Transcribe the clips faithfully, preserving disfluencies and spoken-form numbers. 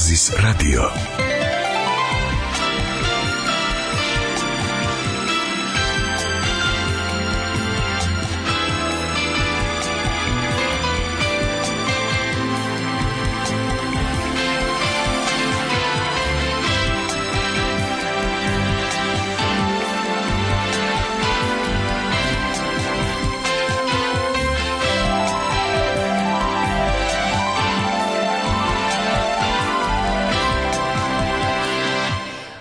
ხაზის რადიო.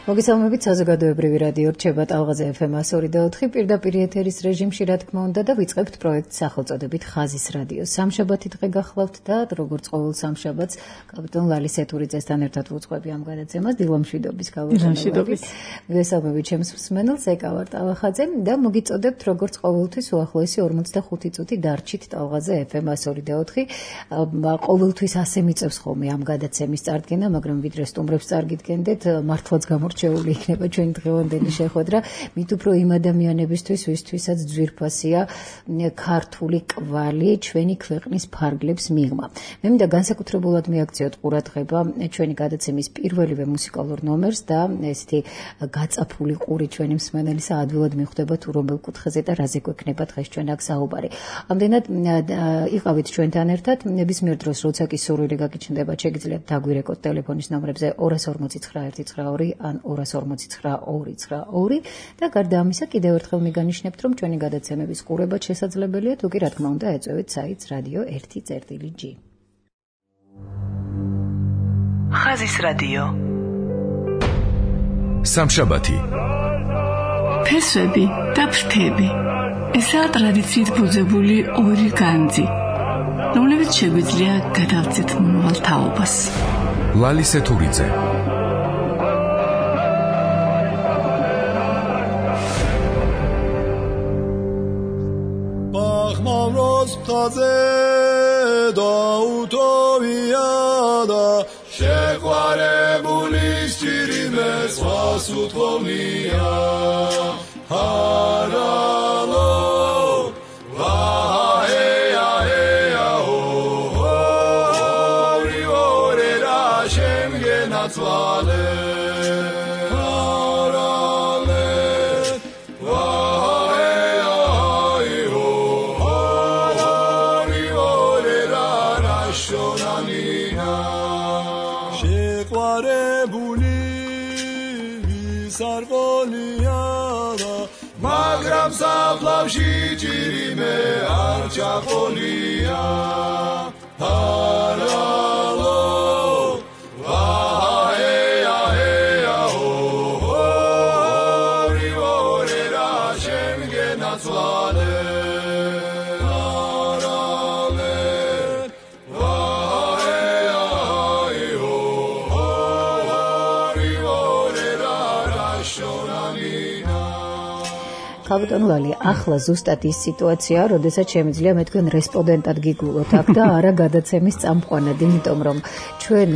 მოგესალმებით, საზოგადოებრივი რადიო რჩება ტალღაზე ეფ ემ one oh two point four პირდაპირ ეთერის რეჟიმში, რა თქმა უნდა, და ვიწყებთ პროექტს სახელწოდებით ხაზის რადიო. სამშაბათი დღე გახლავთ და როგორც ყოველ სამშაბათს კაპიტან ლალი სეთურიძესთან ერთად ვუძღვები ამ გადაცემას დილამშვიდობის გავუშვებით. მოგესალმებით ჩემს მსმენელს, ეკავარ ტალახაძე და მოგიწოდებთ როგორც ყოველთვის უახლოესი ორმოცდახუთი წუთი დარჩით ტალღაზე ეფ ემ one oh two point four. ყოველთვის ასე მიწევს ხოლმე ამ გადაცემის წარდგენა, მაგრამ ვიდრე სტუმრებს წარგიდგენდეთ, მართლაც გამორჩ შეული იქნება ჩვენი დღევანდელი შეხვედრა, მით უფრო იმ ადამიანებისთვის, ვისთვისაც ძვირფასია ქართული კვალი ჩვენი ქვეყნის ფარგლებს მიღმა. მე მინდა განსაკუთრებულად მიაქციოთ ყურადღება ჩვენი გადაცემის პირველივე მუსიკალურ ნომერს და ესეთი გაწაფული ყური ჩვენი მსმენელისა ადვილად მიხვდება თუ რომელ კუთხეზე და რაზე გვექნება დღეს ჩვენ აქ საუბარი. ამდენად იყავით ჩვენთან ერთად, ნებისმიერ დროს როცა კი სურვილი გაგიჩნდება, შეგიძლიათ დაგვირეკოთ ტელეფონის ნომრებზე two four zero nine one nine two ან two four zero nine two nine two და გარდა ამისა კიდევ ერთხელ მიგანიშნებთ, რომ ჩვენი გადაცემების ყურებაც შესაძლებელია, თუ კი რა თქმა უნდა ეწევით საიტს რადიო one წერტილი ჯი. ხაზის რადიო. სამშაბათი. ფესვები და ფრთები. ესაა ტრადიციით ბუძებული ორი განძი, რომლებიც შეგვიძლია გადავწეთ მომავალ თაობას. ლალი სეთურიძე. Taze da utopia da sheqvarebuli sirimes vasutvonia haralo vaheya heya ho ori ore ra shemgenatzvale Savlavshi jirime archapolia haralo vaheya heya ho ori ore ra shemgenatzvale harale vaheya ho ori ore ra rashonamina. კაპიტან ლალი, ახლა ზუსტად ის სიტუაცია, როდესაც შემიძლია მე თქვენ რესპონდენტად გიგულოთ აქ და არა გადაცემის წამყვანად, იმიტომ რომ ჩვენ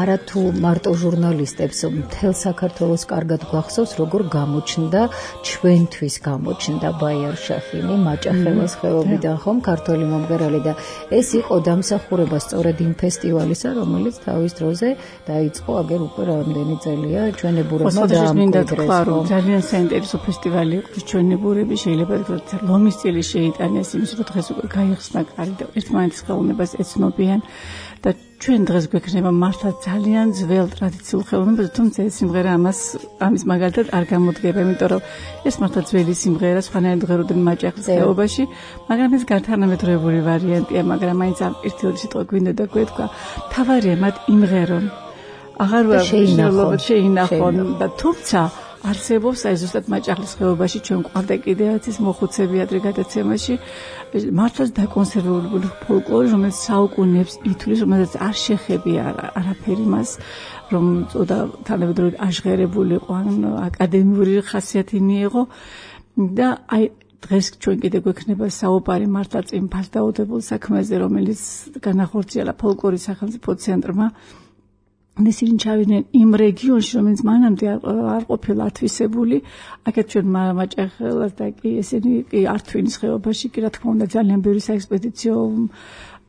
არა თუ მარტო ჟურნალისტებს, მთელ საქართველოს კარგად გვახსოვს, როგორ გამოჩნდა ჩვენთვის გამოჩნდა ბაიარ შახინი მაჭახელის ხეობიდან, ხომ, ქართული მომღერალი და ეს იყო დამსახურება სწორედ იმ ფესტივალისა, რომელიც თავის დროზე დაიწყო აგერ უკვე რამდენი წელია ჩვენებურებმა დაამკვიდრეს. ძალიან საინტერესო ფესტივალი იყო ჩვენ ნებურები შეიძლება ვთქვათ ლომის წილი შეიტანეს იმის რომ დღეს უკვე გაიხსნა კარი და ერთმანეთის ხელოვნებას ეცნობიან და ჩვენ დღეს გვექნება მართლა ძალიან ძველ ტრადიციულ ხელოვნებას, თუმცა ეს სიმღერა ამას ამის მაგალითად არ გამოდგება, იმიტომ რომ ეს მართლა ძველი სიმღერა, სხვანაირად ღეროდნენ მაჭახის ხეობაში, მაგრამ ეს განთანამედროვებული ვარიანტია, მაგრამ მაინც ამ ერთიოდი სიტყვა გვინდა და გვეთქვა, თავარია მათ იმღერონ. აღარ შეინახონ და თუმცა არსებობს აი ზუსტად მაჭახლის ხეობაში ჩვენ გვყავდა კიდევაც ის მოხუცები ადრე გადაცემაში მართლაც დაკონსერვებული ფოლკლორი, რომელიც საუკუნეებს ითვლის, რომელსაც არ შეხებია არაფერი მას, რომ წოდა თანამედროვე აჟღერებული იყო, ან აკადემიური ხასიათი მიიღო და აი დღეს ჩვენ კიდე გვექნება საუბარი მართლაც იმ ფასდაუდებულ საქმეზე, რომელიც განახორციელა ფოლკლორის სახელმწიფო ცენტრმა. ისინი ჩავიდნენ იმ რეგიონში, რომელიც მანამდე არ ყოფილა ათვისებული, აქეთ ჩვენ მაჭახელას და კი ესენი კი ართვინის ხეობაში, კი რა თქმა უნდა ძალიან ბევრი საექსპედიციო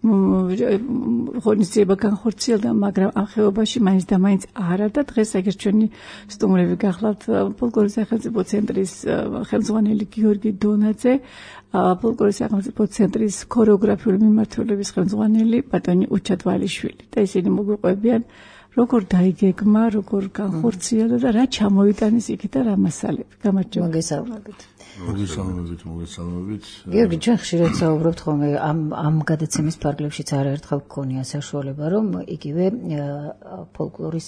ღონისძიება განხორციელდა, მაგრამ ამ ხეობაში მაინც და მაინც არა და დღეს ეგრეთ ჩვენი სტუმრები გახლავთ ფოლკლორის სახელმწიფო ცენტრის ხელმძღვანელი გიორგი დონაძე, ფოლკლორის სახელმწიფო ცენტრის ქორეოგრაფიული მიმართულების ხელმძღვანელი ბატონი უჩა თვალიშვილი და ისინი მოგვიყვებიან როგორ დაიგეგმა, როგორ განხორციელდა და რა ჩამოიტანეს იქით და რა მასალები. გამარჯობა. მოგესალმებით. მოგესალმებით, მოგესალმებით. გიორგი, ჩვენ ხშირად საუბრობთ ხოლმე ამ ამ გადაცემის ფარგლებშიც არაერთხელ გქონია საშუალება, რომ იგივე ფოლკლორის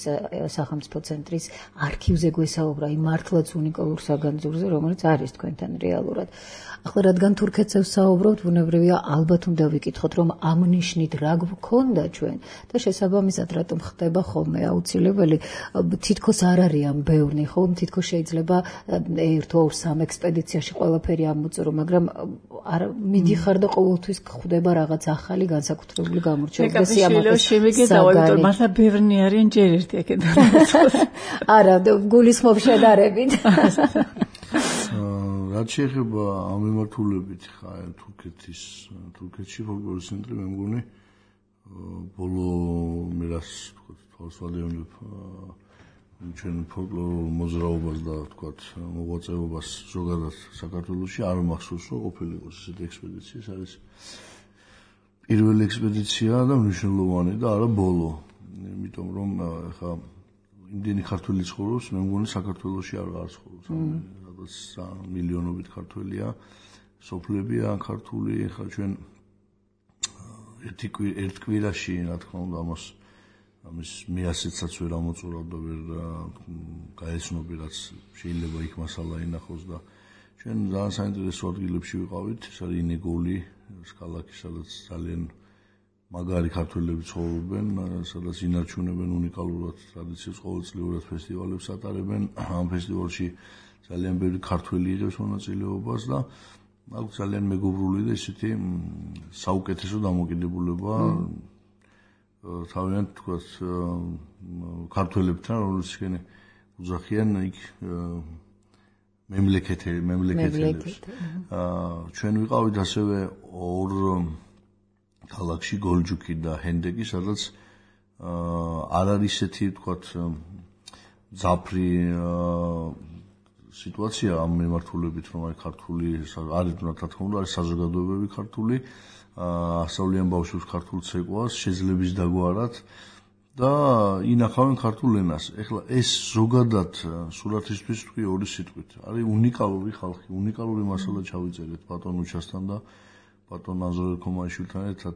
სახელმწიფო ცენტრის არქივზე გვესაუბრა იმ მართლაც უნიკალურ საგანძურზე, რომელიც არის თქვენთან რეალურად. ახლა რადგან თურქეთს საუბრობთ, ბუნებრივია ალბათ უნდა ვიკითხოთ, რომ ამ ნიშნით რა გვქონდა ჩვენ და შესაბამისად რატომ ხდება ხოლმე აუცილებელი, თითქოს არ არის ამ ბევრი, ხო, თითქოს შეიძლება ერთ ორ სამ ექსპედიციაში ყველაფერი ამოწერო, მაგრამ არ მიდიხარ და ყოველთვის ხდება რაღაც ახალი განსაკუთრებული გამორჩეული და სიამაყის საგანი. მართლა ბევრი არიან ჯერ ერთი აქედან. არა, გულისხმობ შედარებით. რაც შეეხება ამ მიმართულებით ხა თურქეთის თურქეთში ფოლკლორის ცენტრი მე მგონი ბოლო მე რას ვთქვათ თვალს ვადევნებ ჩვენ ფოლკლორულ მოძრაობას და ვთქვათ მოღვაწეობას ზოგადად საქართველოში არ მახსოვს რომ ყოფილიყოს ესეთი ექსპედიცია. ეს არის პირველი ექსპედიცია და მნიშვნელოვანი და არა ბოლო, იმიტომ რომ ხა იმდენი ქართველი ცხოვრობს, მე მგონი საქართველოში არ ცხოვრობს. მილიონობით ქართველია, სოფლებია ქართული, ხა ჩვენ ერთი ერთ კვირაში, რა თქმა უნდა, ამას ამის მეასეცაც ვერ ამოწურავ და ვერ გაეცნობი, რაც შეიძლება იქ მასალა ინახოს და ჩვენ ძალიან საინტერესო ადგილებში ვიყავით, ეს არის ინეგოლი, ეს ქალაქი, სადაც ძალიან მაგარი ქართველები ცხოვრობენ, სადაც ინარჩუნებენ უნიკალურად ტრადიციებს, ყოველწლიურად ფესტივალებს ატარებენ. ამ ფესტივალში ძალიან ბევრი ქართველი იღებს მონაწილეობას და აქ ძალიან მეგობრული და ისეთი საუკეთესო დამოკიდებულება თავიანთ თქვათ ქართველებთან, რომლებიც ისინი უძახიან იქ მემლეკეთები, მემლეკეთებს. ჩვენ ვიყავით ასევე ორ ქალაქში, გოლჯუკი და ჰენდეკი, სადაც არ არის ისეთი თქვათ ძაფრი სიტუაცია ამ მიმართულებით, რომ აი ქართული არის, რა თქმა უნდა, არის საზოგადოებები ქართული, ასწავლიან ბავშვებს ქართულ ცეკვას, შეძლების დაგვარად და ინახავენ ქართულ ენას. ეხლა ეს ზოგადად სურათისთვის თქვი ორი სიტყვით. არის უნიკალური ხალხი, უნიკალური მასალა ჩავიწერეთ ბატონ უჩასთან და ბატონ აზრელ ქომაიშვილთან ერთად.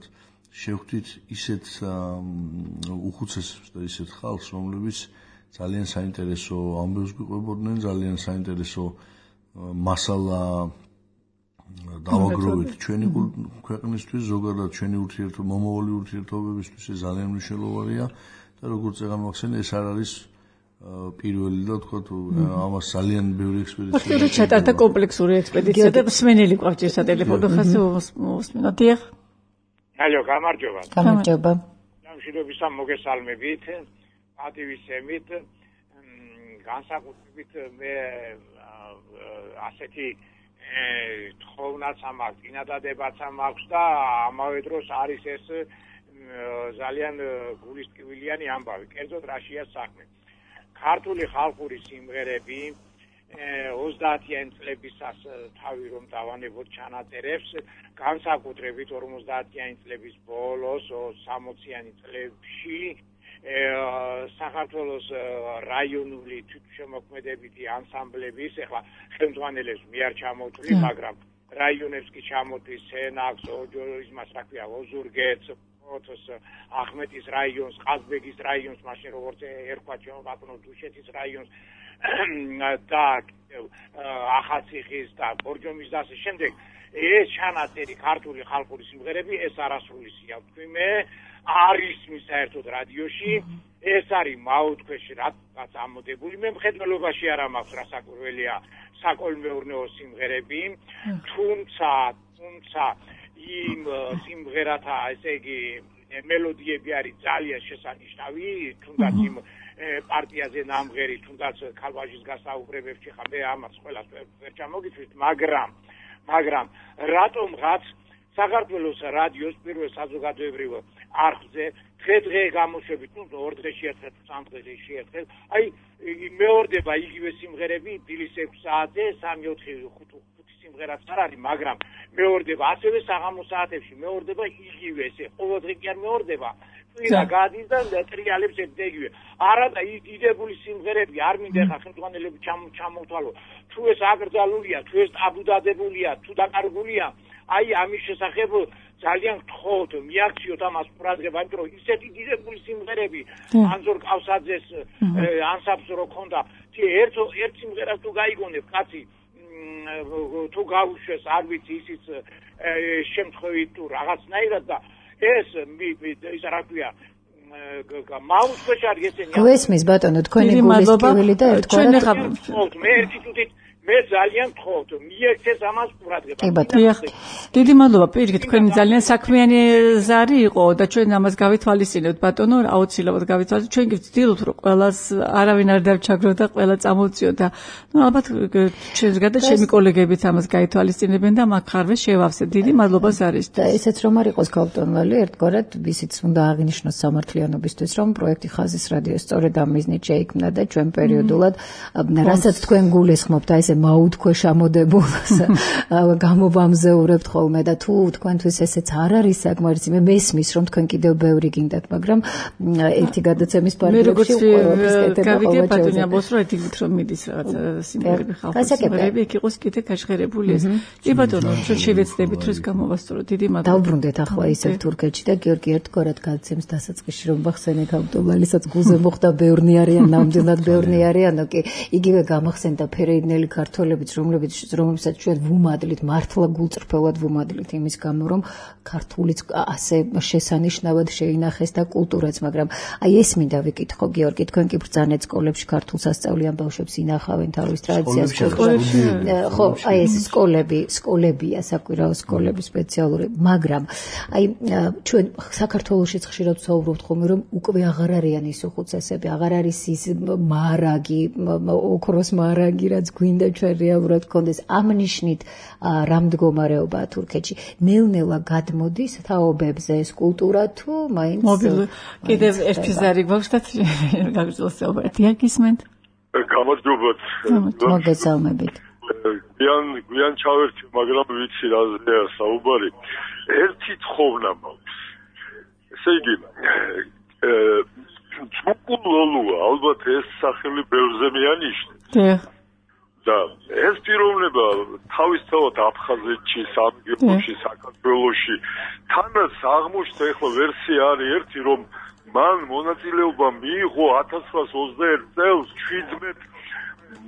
შევხვდით ისეთ უხუცესებს და ისეთ ხალხს, რომლებიც ძალიან საინტერესო ამბებს გვიყვებოდნენ, ძალიან საინტერესო მასალა დავაგროვეთ ჩვენი ქვეყნისთვის, ზოგადად ჩვენი ურთიერთობა, მომავალი ურთიერთობებისთვის ეს ძალიან მნიშვნელოვანია და როგორც წეგან მოახსენე, ეს არ არის პირველი და თქვა თუ ამას ძალიან ბევრი ექსპედიცია. ხშირად ჩატარდა კომპლექსური ექსპედიცია და მსმენელი გვაქვს სატელეფონო ხაზი მოსმენთ. დიახ. ალო, გამარჯობა. გამარჯობა. გამშვიდობისა მოგესალმებით. პატივისცემით, განსაკუთრებით მე ასეთი თხოვნაც ამაქვს, წინადადებაც ამაქვს და ამავე დროს არის ეს ძალიან გულისწყვილიანი ამბავი. კერძოდ რაშია საქმე. ქართული ხალხური სიმღერები ოცდაათიანი წლებისას თავი რომ დავანებოთ ჩანაწერებს, განსაკუთრებით ორმოცდაათიანი წლების ბოლოს, სამოციანი წლებში საქართველოს რაიონული თვითშემოქმედებითი ანსამბლების, ეხლა ხელმძღვანელებს მე არ ჩამოთვლი, მაგრამ რაიონებს კი ჩამოთვლის სენაკს, ოჯორის, მას რა ქვია, ოზურგეთს, ოთოს, ახმეტის რაიონს, ყაზბეგის რაიონს, მაშინ როგორც ერქვა ჩვენ ბატონო დუშეთის რაიონს და ახალციხის და ბორჯომის და ასე შემდეგ. ეს ჩანაწერი ქართული ხალხური სიმღერები, ეს არასრულისია, ვთქვი მე, არის საერთოდ რადიოში, ეს არის მაუთქვეში რაც ამოდებული, მე მხედველობაში არ მაქვს რასაკვირველია საკოლმეურნეო სიმღერები, თუმცა, თუმცა იმ სიმღერათა, ესე იგი, მელოდიები არის ძალიან შესანიშნავი, თუნდაც იმ პარტიაზე ნამღერი, თუნდაც ქალვაჟის გასაუბრებებში, ხა მე ამას ყველას ვერ ჩამოგიწვით, მაგრამ მაგრამ რატომღაც საქართველოს რადიოს პირველ საზოგადოებრივ არხზე დღე-დღე გამოშვებით, ну ორ დღეში ერთხელ, სამ დღეში ერთხელ, აი მეორდება იგივე სიმღერები დილის ექვსი საათზე, სამი ოთხი ხუთი სიმღერაც არ არის, მაგრამ მეორდება ასევე საღამო საათებში, მეორდება იგივე ესე, ყოველდღე კი არ მეორდება. კვირა გადის და ტრიალებს ეთდეგივე. არა და ის დიდებული სიმღერები არ მინდა ხა ხელმძღვანელები ჩამოვთვალო. თუ ეს აკრძალულია, თუ ეს აბუდადებულია, თუ დაკარგულია, აი ამის შესახებ ძალიან გთხოვთ, მიაქციოთ ამას ყურადღება, იმიტომ რომ ისეთი დიდებული სიმღერები ანზორ ყავსაძეს ანსამბლს რო ქონდა, ერთ ერთ სიმღერას თუ გაიგონებ, კაცი თუ გავუშვეს, არ ვიცი ისიც შემთხვევით თუ რაღაცნაირად და ეს ის რა ქვია მაუს ქვეშარი ესენი გვესმის ბატონო თქვენი გულისწყლივილი და ერთგვარად მე ერთი თუთით მე ძალიან გთხოვთ მიექცეს ამას ყურადღება. დიდი მადლობა პირიქით თქვენი ძალიან საქმიანი ზარი იყო და ჩვენ ამას გავითვალისწინებთ ბატონო აუცილებლად გავითვალისწინებთ ჩვენ ვცდილობთ რომ ყველას არავინ არ დავჩაგროთ და ყველა წამოვწიოთ და ნუ ალბათ ჩვენს გარდა ჩემი კოლეგებიც ამას გაითვალისწინებენ და მაგ ხარვე შევავსეთ. დიდი მადლობა ზარის და ესეც რომ არ იყოს გაუტონვალი ერთგვარად ისიც უნდა აღინიშნოს სამართლიანობისთვის რომ პროექტი ხაზის რადიო სწორედ ამ მიზნით შეიქმნა და ჩვენ პერიოდულად რასაც თქვენ გულისხმობთ აი ეს მაუთქვეშ ამოდებულს გამოვამზეურებთ ხოლმე და თუ თქვენთვის ესეც არ არის საკმარისი მე მესმის რომ თქვენ კიდევ ბევრი გინდათ მაგრამ ერთი გადაცემის პარალელში გავიგე ბატონი ამბობს რომ ეთიკით რომ მიდის რაღაცა სიმღერები ხალხის სიმღერები იქ იყოს კიდე გაჟღერებული ეს კი ბატონო ჩვენ შევეცდებით რომ ეს გამოვასწოროთ დიდი მადლობა დავბრუნდეთ ახლა ისევ თურქეთში და გიორგი ერთგვარად გადაცემს დასაწყისში რომ ბახსენე ავტომობილისაც გულზე მოხდა ბევრნი არიან ნამდვილად ბევრნი არიანო კი იგივე გამახსენდა ფერეიდნელი ქართველებიც რომლებიც რომელსაც ჩვენ ვუმადლით მართლა გულწრფელად ვუმადლით იმის გამო რომ ქართულიც ასე შესანიშნავად შეინახეს და კულტურაც მაგრამ აი ეს მინდა ვიკითხო გიორგი თქვენ კი ბრძანეთ სკოლებში ქართულს ასწავლიან ბავშვებს ინახავენ თავის ტრადიციას ხო აი ეს სკოლები სკოლებია საკვირაო სკოლები სპეციალური მაგრამ აი ჩვენ საქართველოშიც ხშირად ვსაუბრობთ ხოლმე რომ უკვე აღარ არიან ის უხუცესები აღარ არის ის მარაგი ოქროს მარაგი რაც გვინდა ჩვენ რეალურად გქონდეს ამ ნიშნით რა მდგომარეობაა თურქეთში ნელ-ნელა გადმოდის თაობებზე ეს კულტურა თუ მაინც კიდევ ერთი ზარი გვაქვს და გაგრძელს ერთი გისმენთ გამარჯობათ მოგესალმებით გვიან გვიან ჩავერთი მაგრამ ვიცი რაზეა საუბარი ერთი თხოვნა მაქვს ესე იგი ჯუკულოლუა ალბათ ეს სახელი ბევრზე მიანიშნე და ეს პიროვნება თავისთავად აფხაზეთში, სამგერში, საქართველოში თანაც აღმოჩნდა ახლა ვერსია არის ერთი რომ მან მონაწილეობა მიიღო ათას ცხრაას ოცდაერთ წელს შვიდმეტ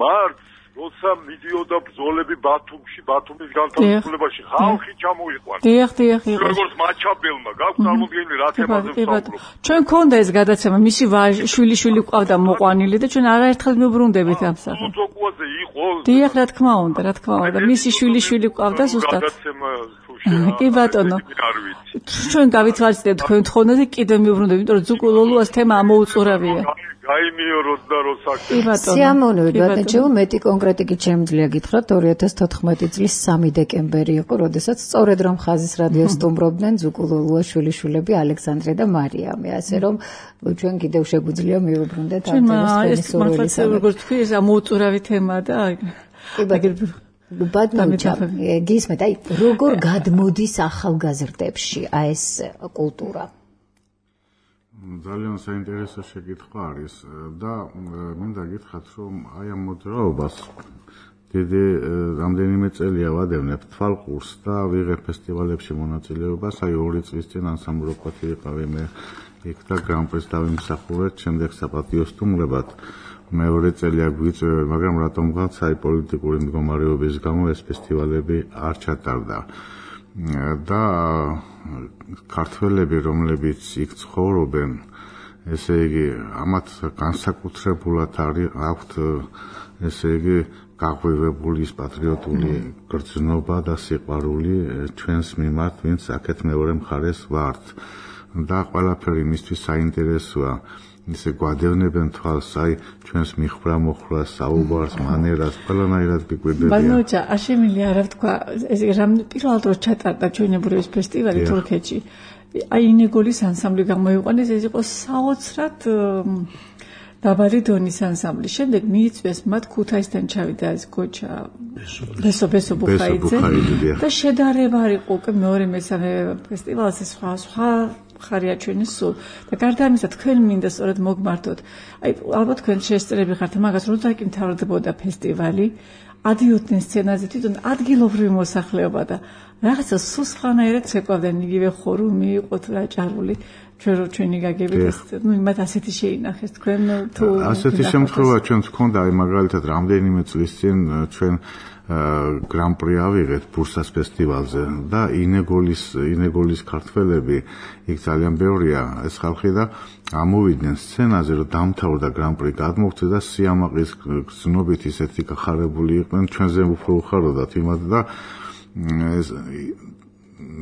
მარტს როცა მიდიოდა ბრძოლები ბათუმში, ბათუმის განთავისუფლებაში ხალხი ჩამოიყვანა. დიახ, დიახ, იყო. როგორც მაჩაბელმა გაქვს წარმოდგენილი რა თემაზე ვსაუბრობ. ჩვენ ქონდა ეს გადაცემა, მისი შვილი შვილი ყავდა მოყვანილი და ჩვენ არაერთხელ მივბრუნდებით ამ სახეს. ლუცოკუაზე იყო. დიახ, რა თქმა უნდა, რა თქმა უნდა, მისი შვილი შვილი ყავდა ზუსტად. გადაცემა თუ შეა. კი ბატონო. ჩვენ გავითვალისწინებთ თქვენ თხოვნაზე კიდე მივბრუნდებით, იმიტომ რომ ზუკულოლუას თემა ამოუწურავია. გაიმიოროთ და რო საქმე. სიამოვნებით ბატონო, მეტი კონკრეტიკით შემიძლია გითხრათ ორი ათას თოთხმეტი წლის სამი დეკემბერი იყო, როდესაც სწორედ რომ ხაზის რადიოს სტუმრობდნენ ზუკულოლუას შვილიშვილები ალექსანდრე და მარიამი, ასე რომ ჩვენ კიდევ შეგვიძლია მივუბრუნდეთ ამ თემას ჩვენი სურვილის. ჩვენ როგორც თქვი, ეს ამოუწურავი თემაა და ბატონო, გისმენთ, აი როგორ გადმოდის ახალგაზრდებში აი ეს კულტურა? ძალიან საინტერესო შეკითხვა არის და მინდა გითხრათ რომ აი ამ მოძრაობას დიდი რამდენიმე წელია ვადევნებ თვალყურს და ვიღებ ფესტივალებში მონაწილეობას აი ორი წლის წინ ანსამბლოქვათი ვიყავი მე იქ და გრან-პრის დავიმსახურეთ შემდეგ საპატიო სტუმრებად მეორე წელია გვიწევენ მაგრამ რატომღაც აი პოლიტიკური მდგომარეობის გამო ეს ფესტივალები არ ჩატარდა და ქართველები რომლებიც იქ ცხოვრობენ ესე იგი ამათ განსაკუთრებულად აქვთ ესე იგი გაღვივებული ის პატრიოტული გრძნობა და სიყვარული ჩვენს მიმართ ვინც აქეთ მეორე მხარეს ვართ და ყველაფერი მისთვის საინტერესოა ისე გვადევნებენ თვალს, აი ჩვენს მიხრა მოხრას, საუბარს, მანერას, ყველანაირად გიკვირდებიან. ბანოჭა, არ შემიძლია არა ვთქვა, ეს რამ პირველად რო ჩატარდა ჩვენებურების ფესტივალი თურქეთში. აი ინეგოლის ანსამბლი გამოიყვანეს, ეს იყო საოცრად დაბალი დონის ანსამბლი. შემდეგ მიიწვიეს მათ ქუთაისთან ჩავიდა ეს გოჩა ბესო ბესო ბუხაიძე და შედარება არ იყო უკვე მეორე მესამე ფესტივალზე სხვა სხვა ხარია ჩვენი სულ და გარდა ამისა თქვენ მინდა სწორედ მოგმართოთ. აი ალბათ თქვენ შეესწრები ხართ მაგას, როცა კი მთავრდებოდა ფესტივალი, ადიოდნენ სცენაზე თვითონ ადგილობრივი მოსახლეობა და რაღაცა სულ სხვანაირად ცეკვავდნენ, იგივე ხორუმი იყო დაჭარული. ჩვენ რო ჩვენი გაგებით, ნუ მათ ასეთი შეინახეს თქვენ თუ ასეთი შემთხვევა ჩვენს გქონდა, აი მაგალითად რამდენიმე წლის წინ ჩვენ გრან-პრი ავიღეთ ბურსას ფესტივალზე და ინეგოლის ინეგოლის ქართველები იქ ძალიან ბევრია ეს ხალხი და ამოვიდნენ სცენაზე რომ დამთავრდა გრან-პრი გადმოგწე და სიამაყის გზნობით ისეთი გახარებული იყვნენ ჩვენზე უფრო უხაროდათ იმათ და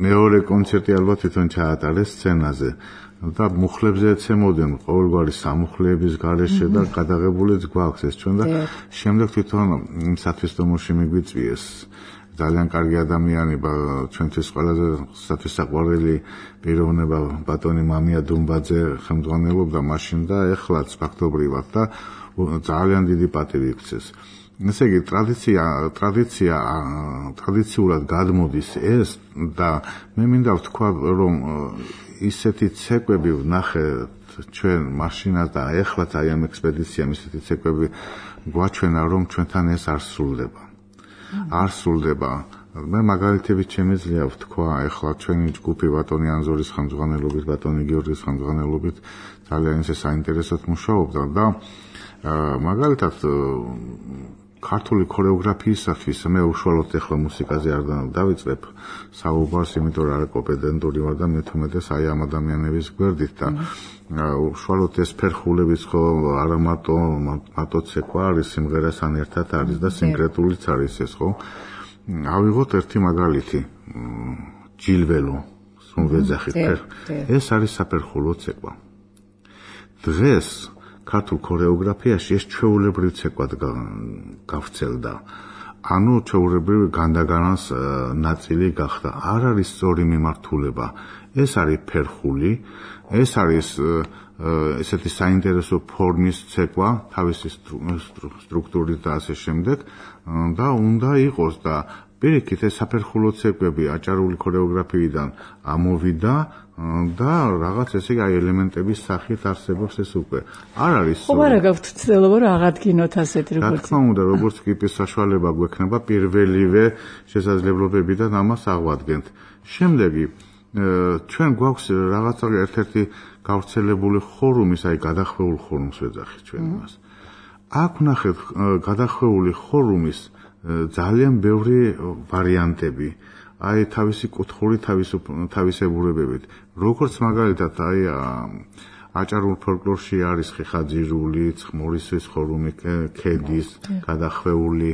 მეორე კონცერტი ალბათ თვითონ ჩაატარეს სცენაზე და მუხლებზე ეცემოდნენ ყოველგვარი სამუხლეების გარეშე და გადაღებულიც გვაქვს ეს ჩვენ და შემდეგ თვითონ სათვისტომოში მიგვიწვიეს ძალიან კარგი ადამიანი ჩვენთვის ყველაზე სათვისაყვარელი პიროვნება ბატონი მამია დუმბაძე ხელმძღვანელობდა მაშინ და ეხლაც ფაქტობრივად და ძალიან დიდი პატივი იქცეს. ესე იგი ტრადიცია ტრადიცია ტრადიციულად გადმოდის ეს და მე მინდა ვთქვა რომ ისეთი ცეკვები ვნახე ჩვენ მაშინა და ეხლაც აი ამ ექსპედიციამ ისეთი ცეკვები გვაჩვენა რომ ჩვენთან ეს არ სრულდება. არ სრულდება. მე მაგალითებით შემიძლია ვთქვა ეხლა ჩვენი ჯგუფი ბატონი ანზორის ხელმძღვანელობით, ბატონი გიორგის ხელმძღვანელობით ძალიან ისე საინტერესოდ მუშაობდა და მაგალითად ქართული ქორეოგრაფიისათვის მე უშუალოდ ეხლა მუსიკაზე არ დავიწყებ საუბარს, იმიტომ რომ არა კომპეტენტური ვარ და მე თუმეტეს აი ამ ადამიანების გვერდით და უშუალოდ ეს ფერხულებიც ხო არა მარტო მარტო ცეკვა არის, სიმღერასთან ერთად არის და სინკრეტულიც არის ეს ხო. ავიღოთ ერთი მაგალითი ჯილველო სუნვეძახი ეს არის საფერხულო ცეკვა. დღეს ქართულ ქორეოგრაფიაში ეს ჩვეულებრივი ცეკვად გავრცელდა. ანუ ჩვეულებრივი განდაგანას ნაწილი გახდა. არ არის სწორი მიმართულება. ეს არის ფერხული, ეს არის ესეთი საინტერესო ფორმის ცეკვა, თავისი სტრუქტურით და ასე შემდეგ და უნდა იყოს და პირიქით ეს საფერხულო ცეკვები აჭარული ქორეოგრაფიიდან ამოვიდა და რაღაც ესე იგი ელემენტების სახით არსებობს ეს უკვე. არ არის ხო, არა გაქვთ ცდილობა რომ აღადგინოთ ასეთი როგორც. რა თქმა უნდა, როგორც კიპის საშუალება გვექნება პირველივე შესაძლებლობებიდან ამას აღვადგენთ. შემდეგი ჩვენ გვაქვს რაღაცა ერთ-ერთი გავრცელებული ხორუმის, აი გადახვეულ ხორუმს ვეძახით ჩვენ მას. აქ ვნახეთ გადახვეული ხორუმის ძალიან ბევრი ვარიანტები. აი თავისი კუთხური თავისებურებებით. როგორც მაგალითად აი აჭარულ ფოლკლორში არის ხიხაძირული, ცხმორისის ხორუმი, ქედის, გადახვეული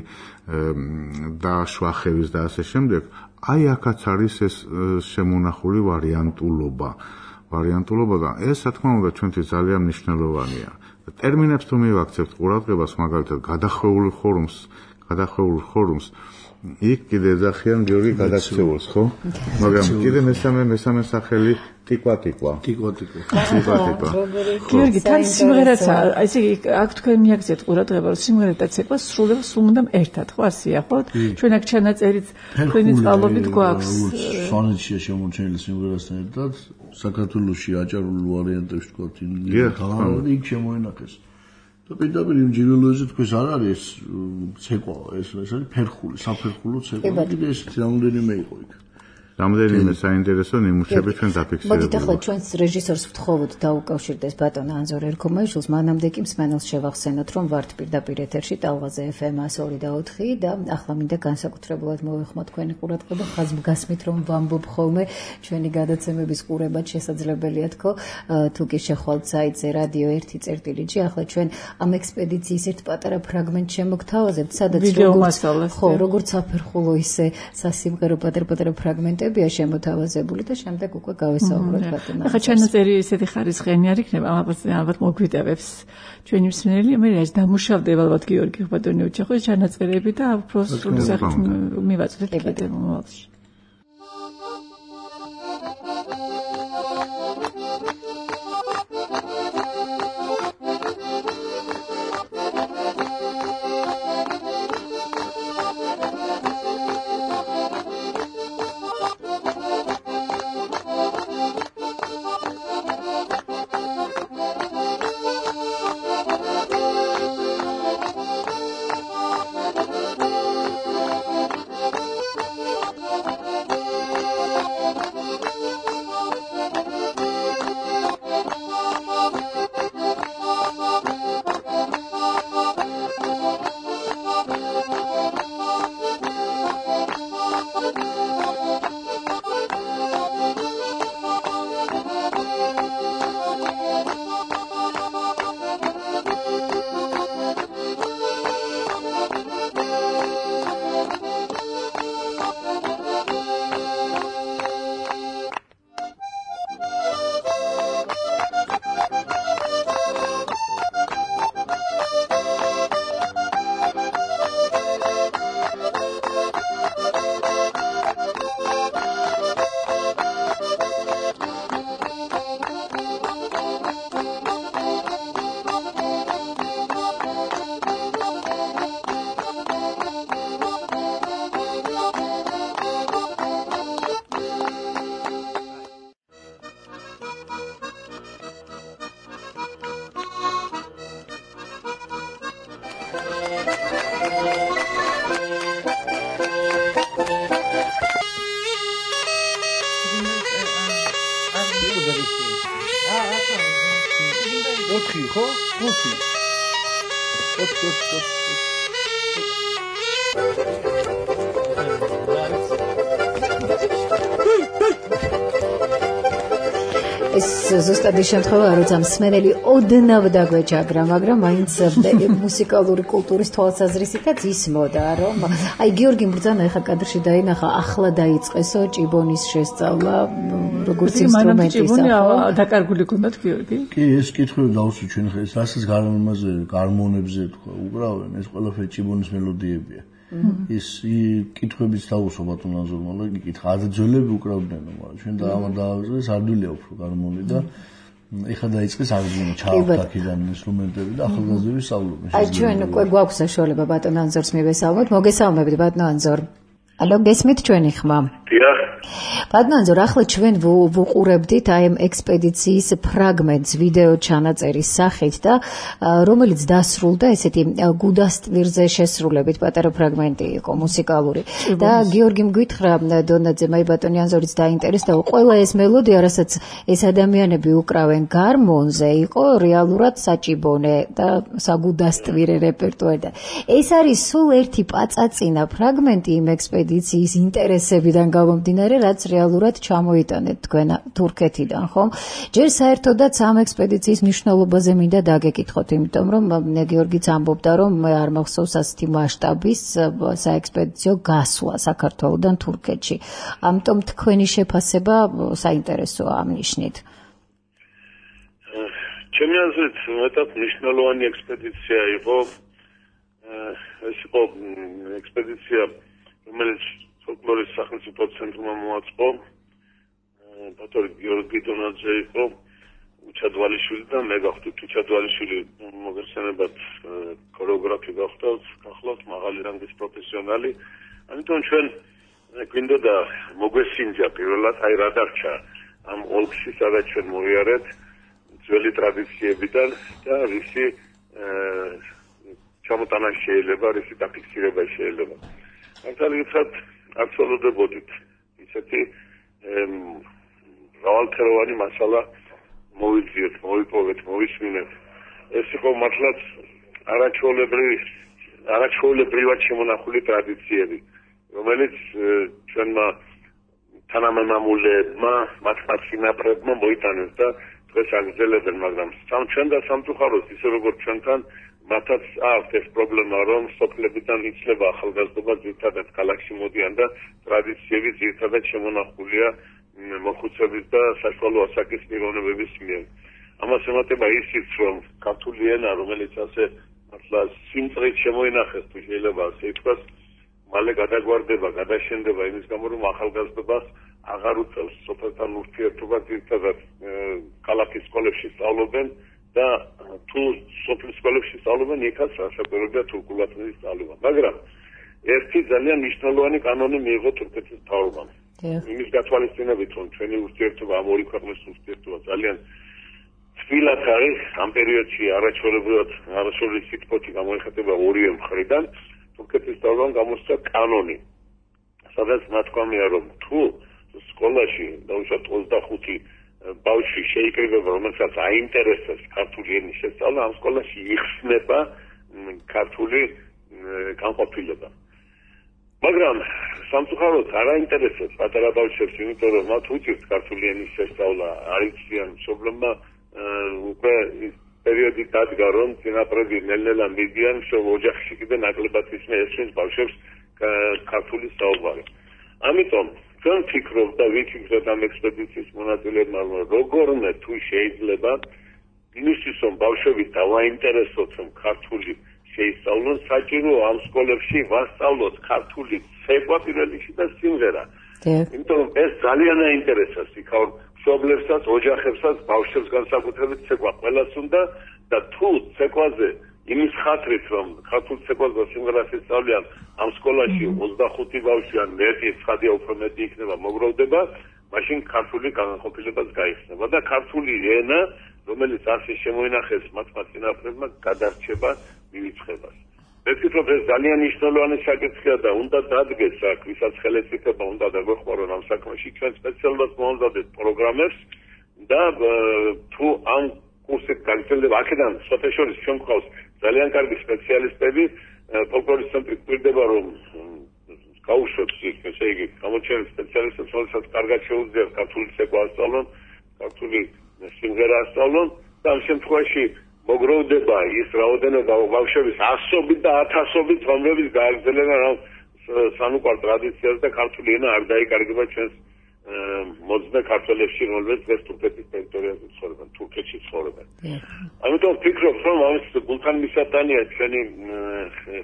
და შვახევის და ასე შემდეგ. აი აქაც არის ეს შემონახული ვარიანტულობა. ვარიანტულობა და ეს რა თქმა უნდა ჩვენთვის ძალიან მნიშვნელოვანია. ტერმინებს თუ მივაქცევთ ყურადღებას მაგალითად გადახვეული ხორუმს, გადახვეული ხორუმს იქ კიდე ეძახიან გიორგი გადაქცეულს, ხო? მაგრამ კიდე მესამე მესამე სახელი ტიკვატიკვა. ტიკვატიკვა. ტიკვატიკვა. გიორგი, თან სიმღერაც ესე იგი აქ თქვენ მიაქცეთ ყურადღება, რომ სიმღერა და ცეკვა სრულდება სულ უნდამ ერთად, ხო ასეა, ხო? ჩვენ აქ ჩანაწერიც თქვენი წყალობით გვაქვს. სვანეთშია შემორჩენილი სიმღერასთან ერთად, საქართველოში აჭარულ ვარიანტებში თქვა, თავად იქ შემოინახეს. და პირდაპირ იმ ჯილველოზე თქვენ არ არის ცეკვა, ეს ეს არის ფერხული, საფერხულო ცეკვა. კიდე ესეთი რამოდენიმე იყო იქ. რამდენიმე საინტერესო ნიმუშები ჩვენ დაფიქსირებულ. მოდით ახლა ჩვენს რეჟისორს ვთხოვოთ დაუკავშირდეს ბატონ ანზორ ერქომაიშვილს, მანამდე კი მსმენელს შევახსენოთ, რომ ვართ პირდაპირ ეთერში ტალღაზე ეფ ემ ორი და ოთხი და ახლა მინდა განსაკუთრებულად მოვეხმოთ თქვენი ყურადღება, ხაზგასმით რომ ვამბობ ხოლმე ჩვენი გადაცემების ყურებაც შესაძლებელია თქო, თუ კი შეხვალთ საიტზე რადიო ერთი წერტილი-ჯი, ახლა ჩვენ ამ ექსპედიციის ერთ პატარა ფრაგმენტს შემოგთავაზებთ, სადაც როგორც ხო, როგორც საფერხულო ისე სასიმღერო პატარ-პატარა ფრაგმენტები ტრეკებია შემოთავაზებული და შემდეგ უკვე გავესაუბროთ ბატონო. ახლა ჩანაწერი ესეთი ხარისხიანი არ იქნება, ალბათ ალბათ მოგვიტევებს ჩვენი მსმენელი, მე რაც დამუშავდება ალბათ გიორგი ბატონი უჩახოს ჩანაწერები და უფრო სრული სახით მივაწვდეთ კიდევ მომავალში. ზუსტად ის შემთხვევა, როცა მსმენელი ოდნავ დაგვეჯაგრა, მაგრამ მაინც მუსიკალური კულტურის თვალსაზრისითაც ისმოდა, რომ აი გიორგი მბრძანა ეხა კადრში დაინახა, ახლა დაიწყესო ჭიბონის შესწავლა, როგორც ინსტრუმენტის. ჭიბონი დაკარგული გქონდათ გიორგი? კი, ეს კითხვები დავუსვით ჩვენ ხა, ეს რასაც გარმონებზე, გარმონებზე თქვა, უკრავენ, ეს ყველაფერი ჭიბონის მელოდიებია. ის კითხვებიც დაუსვა ბატონო ანზორმა, იკითხა, აძძველები უკრავდნენ, მაგრამ ჩვენ დაავადდეს ადვილია უფრო გარმონი და ეხლა დაიწყეს აღდგენა, ჩაავდა აქედან ინსტრუმენტები და ახალგაზრდები სწავლობენ. აი ჩვენ უკვე გვაქვს საშუალება ბატონო ანზორს მივესალმოთ. მოგესალმებით ბატონო ანზორ. ალო, გესმით ჩვენი ხმა? დიახ. ბატონო ანზორ, ახლა ჩვენ ვუყურებდით აი ამ ექსპედიციის ფრაგმენტს ვიდეო ჩანაწერის სახით და რომელიც დასრულდა ესეთი გუდასტვირზე შესრულებით, პატარა ფრაგმენტი იყო მუსიკალური. და გიორგი მგვითხრა დონაძე, აი ბატონი ანზორიც დაინტერესდა, ყველა ეს მელოდია, რასაც ეს ადამიანები უკრავენ გარმონზე, იყო რეალურად საჭიბონე და საგუდასტვირე რეპერტუარი და ეს არის სულ ერთი პაწაწინა ფრაგმენტი იმ ექსპედიციის ინტერესებიდან გამომდინარე, რაც რეალურად ჩამოიტანეთ თქვენ თურქეთიდან, ხომ? ჯერ საერთოდაც ამ ექსპედიციის მნიშვნელობაზე მინდა დაგეკითხოთ, იმიტომ რომ გიორგიც ამბობდა, რომ მე არ მახსოვს ასეთი მასშტაბის საექსპედიციო გასვლა საქართველოდან თურქეთში. ამიტომ თქვენი შეფასება საინტერესოა ამ ნიშნით. ჩემი აზრით, მეტად მნიშვნელოვანი ექსპედიცია იყო. ეს იყო ექსპედიცია, რომელიც ფოლკლორის სახელმწიფო ცენტრმა მოაწყო. ბატონი გიორგი დონაძე იყო, უჩადვალიშვილი და მე გავხდით უჩადვალიშვილი მოგესალმებათ, ქორეოგრაფი გავხდით, გახლავთ მაღალი რანგის პროფესიონალი. ამიტომ ჩვენ გვინდოდა მოგვესინჯა პირველად აი რა დარჩა ამ ოლქში, სადაც ჩვენ მოვიარეთ ძველი ტრადიციებიდან და რისი ჩამოტანა შეიძლება, რისი დაფიქსირება შეიძლება. მართალიცად არ ცოლოდებოდით ისეთი მრავალფეროვანი მასალა მოვიძიოთ, მოვიპოვეთ, მოვისმინეთ. ეს იყო მართლაც არაჩვეულებრივი, არაჩვეულებრივად შემონახული ტრადიციები, რომელიც ჩვენმა თანამემამულეებმა, მათ წინაპრებმა მოიტანეს და დღეს აგრძელებენ, მაგრამ ჩვენ და სამწუხაროდ ისე როგორც ჩვენთან მათაც აქვს ეს პრობლემა, რომ სოფლებიდან იცლება ახალგაზრდობა, ძირითადად ქალაქში მოდიან და ტრადიციები ძირითადად შემონახულია მოხუცების და საშუალო ასაკის პიროვნებების მიერ. ამას ემატება ისიც, რომ ქართული ენა, რომელიც ასე მართლა სიმწყრით შემოინახეს, თუ შეიძლება ასე ითქვას, მალე გადაგვარდება, გადაშენდება იმის გამო, რომ ახალგაზრდობას აღარ უწევს სოფელთან ურთიერთობა, ძირითადად ქალაქის სკოლებში სწავლობენ და თუ სოფლის სკოლებში სწავლობენ, იქაც რასაკვირველია თურქულათმედის სწავლება. მაგრამ ერთი ძალიან მნიშვნელოვანი კანონი მიიღო თურქეთის მთავრობამ. იმის გათვალისწინებით, რომ ჩვენი ურთიერთობა ამ ორი ქვეყნის ურთიერთობა ძალიან თბილად არის, ამ პერიოდში არაჩვეულებრივად არასრული სიტყვოთი გამოიხატება ორივე მხრიდან, თურქეთის მთავრობამ გამოსცა კანონი, სადაც ნათქვამია, რომ თუ სკოლაში დაუშვათ ოცდახუთი ბავშვი შეიკრიბება, რომელსაც აინტერესებს ქართული ენის შესწავლა, ამ სკოლაში იხსნება ქართული განყოფილება. მაგრამ სამწუხაროდ არ აინტერესებს პატარა ბავშვებს, იმიტომ რომ მათ უჭირთ ქართული ენის შესწავლა, არ იციან მშობლებმა უკვე ის პერიოდი დადგა, რომ წინაპრები ნელ-ნელა მიდიან ოჯახში კიდე ნაკლებად ისმის ბავშვებს ქართული საუბარი. ამიტომ ჩვენ ვფიქრობ და ვიფიქრეთ ამ ექსპედიციის მონაწილეებმა, რომ როგორმე თუ შეიძლება იმისთვის, რომ ბავშვები დავაინტერესოთ, რომ ქართული შეისწავლონ, საჭიროა ამ სკოლებში ვასწავლოთ ქართული ცეკვა პირველ რიგში და სიმღერა. იმიტომ რომ ეს ძალიან აინტერესებს იქაურ მშობლებსაც, ოჯახებსაც, ბავშვებს განსაკუთრებით ცეკვა ყველას უნდა და თუ ცეკვაზე იმის ხათრით, რომ ქართულ ცეკვას და სიმღერას ისწავლიან ამ სკოლაში ოცდახუთი ბავშვი ან მეტი, ცხადია უფრო მეტი იქნება მოგროვდება, მაშინ ქართული განყოფილებას გაიხსნება და ქართული ენა, რომელიც ასე შემოინახეს მათმა წინაპრებმა, გადარჩება მივიწყებას. მე ვფიქრობ, ეს ძალიან მნიშვნელოვანი საკითხია და უნდა დადგეს აქ, ვისაც ხელისუფლება უნდა დაგვეხმარონ ამ საქმეში, ჩვენ სპეციალურად მოვამზადეთ პროგრამებს და თუ ამ კურსით გაგრძელდება, აქედან სოფეშორის ჩვენ გვყავს ძალიან კარგი სპეციალისტები, ფოლკლორის ცენტრი გვირდება, რომ გაუშვებს ის, ესე იგი, გამოჩენილ სპეციალისტებს, რომელსაც კარგად შეუძლიათ ქართული ცეკვა ასწავლონ, ქართული სიმღერა ასწავლონ და ამ შემთხვევაში მოგროვდება ის რაოდენობა ბავშვების ასობით და ათასობით, რომლებიც გააგრძელებენ ამ სანუკვარ ტრადიციას და ქართული ენა არ დაიკარგება ჩვენს მოძნე ქართველებში, რომლებიც დღეს თურქეთის ტერიტორიაზე ცხოვრობენ, თურქეთში ცხოვრობენ. ამიტომ ვფიქრობ, რომ ამის გულთან მისატანია ჩვენი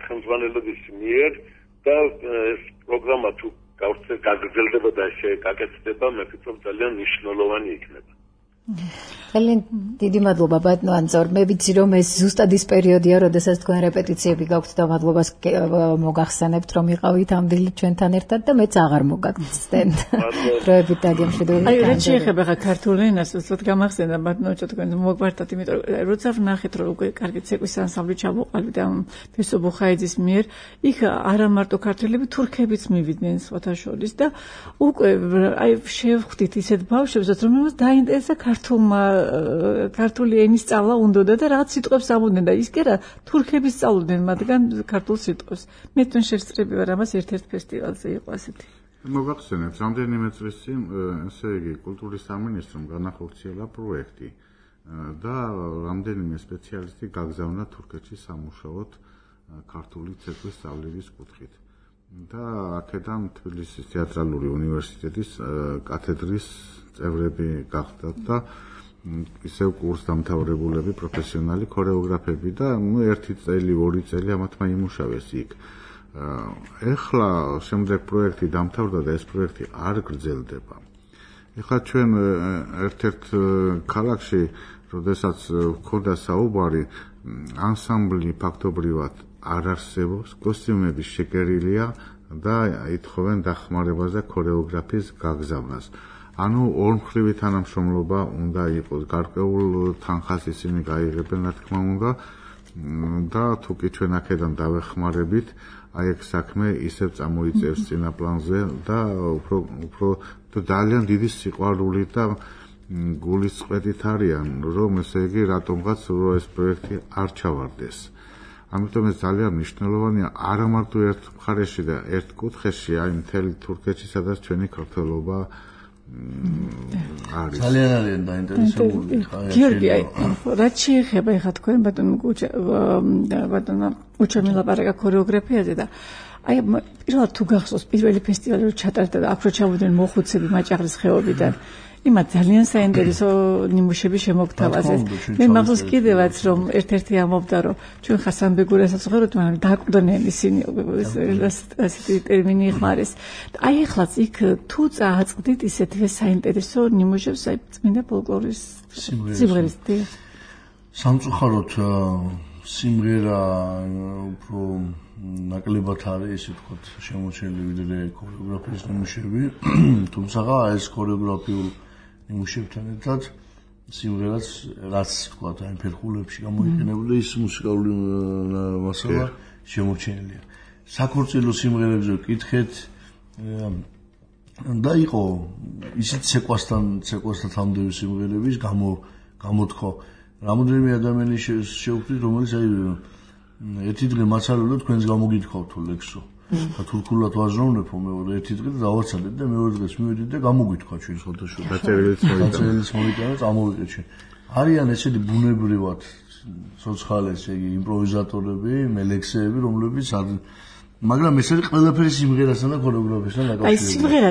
ხელმძღვანელობის მიერ და ეს პროგრამა თუ გაგრძელდება და გაკეთდება, მე ვფიქრობ ძალიან მნიშვნელოვანი იქნება. ძალიან დიდი მადლობა ბატონო ანზორ. მე ვიცი რომ ეს ზუსტად ის პერიოდია, როდესაც თქვენ რეპეტიციები გაქვთ და მადლობას მოგახსენებთ, რომ იყავით ამდილი ჩვენთან ერთად და მეც აღარ მოგაგცდენთ. დროებით დაგემშვიდობებით. აი, რაც შეეხება ხა ქართულ ენას, უცბად გამახსენდა ბატონო, თქვენ მოგვარდათ, იმიტომ რომ როცა ვნახეთ, რომ უკვე კარგი ცეკვის ანსამბლი ჩამოყალიბდა ამ ფესო ბუხაიძის მიერ, იქ არა მარტო ქართველები, თურქებიც მივიდნენ სხვათა შორის და უკვე აი შევხვდით ისეთ ბავშვებსაც, რომელსაც დაინტერესა ქართულმა ქართული ენის სწავლა უნდოდა და რაღაც სიტყვებს ამბობდნენ და ის კი არა თურქების სწავლობდნენ მათგან ქართულ სიტყვებს. მე თქვენ შესწრები ვარ ამას ერთ-ერთ ფესტივალზე იყო ასეთი. მოგახსენებთ, რამდენიმე წლის წინ, ესე იგი, კულტურის სამინისტრომ განახორციელა პროექტი და რამდენიმე სპეციალისტი გაგზავნა თურქეთში სამუშაოდ ქართული ცეკვის სწავლის კუთხით. და აქედან თბილისის თეატრალური უნივერსიტეტის კათედრის წევრები გახდათ და ისევ კურსდამთავრებულები, პროფესიონალი ქორეოგრაფები და ნუ ერთი წელი, ორი წელი ამათმა იმუშავეს იქ. ეხლა შემდეგ პროექტი დამთავრდა და ეს პროექტი არ გრძელდება. ეხლა ჩვენ ერთ-ერთ ქალაქში, როდესაც გვქონდა საუბარი, ანსამბლი ფაქტობრივად არ არსებობს, კოსტიუმები შეკერილია და ითხოვენ დახმარებას და ქორეოგრაფიის გაგზავნას. ანუ ორმხრივი თანამშრომლობა უნდა იყოს, გარკვეულ თანხას ისინი გაიღებენ, რა თქმა უნდა, და თუ კი ჩვენ აქედან დავეხმარებით, აი ეს საქმე ისევ წამოიწევს წინა პლანზე და უფრო უფრო ძალიან დიდი სიყვარული და გულისწყეთით არიან, რომ ესე იგი რატომღაც ეს პროექტი არ ჩავარდეს. ამიტომ ეს ძალიან მნიშვნელოვანია არა მარტო ერთ მხარეში და ერთ კუთხეში, აი მთელი თურქეთში, სადაც ჩვენი ქართველობა არის. ძალიან არიან დაინტერესებული. გიორგი, აი, რაც შეეხება ეხლა თქვენ ბატონო ბატონო უჩემი ლაპარაკა ქორეოგრაფიაზე და აი პირველად თუ გახსოვს პირველი ფესტივალი რო ჩატარდა და აქ რო ჩავიდნენ მოხუცები მაჭაღრის ხეობიდან იმათ ძალიან საინტერესო ნიმუშები შემოგთავაზეს. მე მახსოვს კიდევაც რომ ერთ-ერთი ამბობდა რომ ჩვენ ხასანბეგურასაც ვღეროთ, მაგრამ დაკვდნენ ისინი ასეთი ტერმინი იხმარეს. აი ახლაც იქ თუ წააწყდით ისეთვე საინტერესო ნიმუშებს აი წმინდა ფოლკლორის სიმღერის დიახ. სამწუხაროდ სიმღერა უფრო ნაკლებად არის ისე ვთქვათ შემოჩენილი ვიდრე ქორეოგრაფიის ნიმუშები, თუმცა ეს ქორეოგრაფიულ ნიმუშებთან ერთად სიმღერაც რაც ვთქვათ აი ფერხულებში გამოიყენებული ის მუსიკალური მასალა შემოჩენილია. საქორწილო სიმღერებზე ვკითხეთ და იყო ისეთ ცეკვასთან ცეკვასთან თამდები სიმღერების გამო გამოთხო რამოდენიმე ადამიანი შევხვდით რომელიც აი ერთი დღე მაცალო თქვენს გამოგითხოვთ თუ ლექსო და თურქულად ვაზროვნებო მეორე ერთი დღე დავაცალეთ და მეორე დღეს მივედით და გამოგითქვა ჩვენ ფოტოშოპში დაწერილიც მოვიტანეთ ამოვიყეთ ჩვენ არიან ესეთი ბუნებრივად სოციალეს იგი იმპროვიზატორები მელექსეები რომლებიც მაგრამ ეს არის ყველაფერი სიმღერასთან და ქორეოგრაფიასთან დაკავშირებული. აი სიმღერა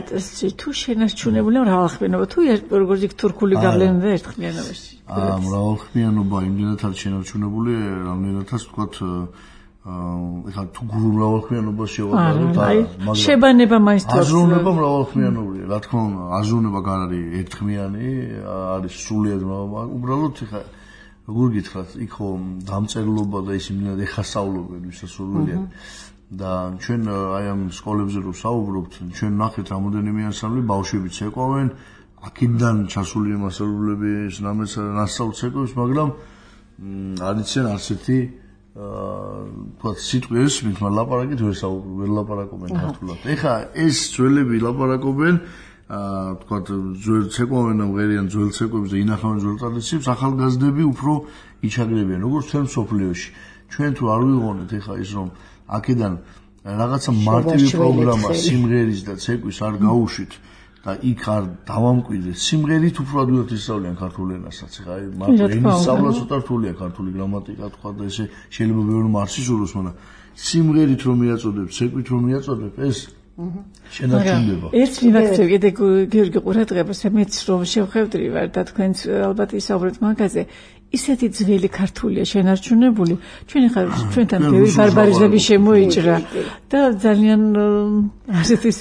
თუ შენარჩუნებული მრავალხმიანობა თუ როგორც იქ თურქული გავლენა ერთხმიანობაში. აა მრავალხმიანობა იმდენად არის შენარჩუნებული, რამდენადაც ვთქვათ ეხლა თუ გურუ მრავალხმიანობას შევადარებთ, მაგრამ შებანება მაინც თავს. აზროვნება მრავალხმიანობია, რა თქმა უნდა, აზროვნება გარ არის ერთხმიანი, არის სრულიად მრავალ, უბრალოდ ეხლა როგორ გითხრათ, იქ ხო დამწერლობა და ის იმდენად ეხასწავლობენ ვისასურველია. და ჩვენ აი ამ სკოლებზე რო საუბრობთ, ჩვენ ნახეთ რამოდენიმე ანსამბლი ბავშვები ცეკვავენ, აქედან ჩასული მასწავლებლები ნამეს ნასწავლს ცეკვებს, მაგრამ არ იციან არცერთი აა სიტყვა ესმით, მაგრამ ლაპარაკით ვერ საუბრობენ, ვერ ლაპარაკობენ ქართულად. ეხლა ეს ძველები ლაპარაკობენ, აა თქვათ ძველ ცეკვავენ და მღერიან ძველ ცეკვებს და ინახავენ ძველ ტრადიციებს, ახალგაზრდები უფრო იჩაგრებიან, როგორც ჩვენ სოფლიოში. ჩვენ თუ არ ვიღონეთ ეხლა ის რომ აქედან რაღაცა მარტივი პროგრამა სიმღერის და ცეკვის არ გაუშვით და იქ არ დავამკვიდრეთ სიმღერით უფრო ადვილად ისწავლიან ქართულ ენასაც ხა აი მარტივი სწავლა ცოტა რთულია ქართული გრამატიკა თქვა და ესე შეიძლება ბევრმა არ სიზუროს მაგრამ სიმღერით რომ მიაწოდებ ცეკვით რომ მიაწოდებ ეს შენარჩუნდება ერთ მიმაქცევ კიდე გიორგი ყურადღებას მეც რომ შევხვევდრი ვარ და თქვენც ალბათ ისაუბრეთ მაგაზე ისეთი ძველი ქართულია შენარჩუნებული ჩვენ ხარ ჩვენთან ბევრი ბარბარიზმები შემოიჭრა და ძალიან ასეთ ის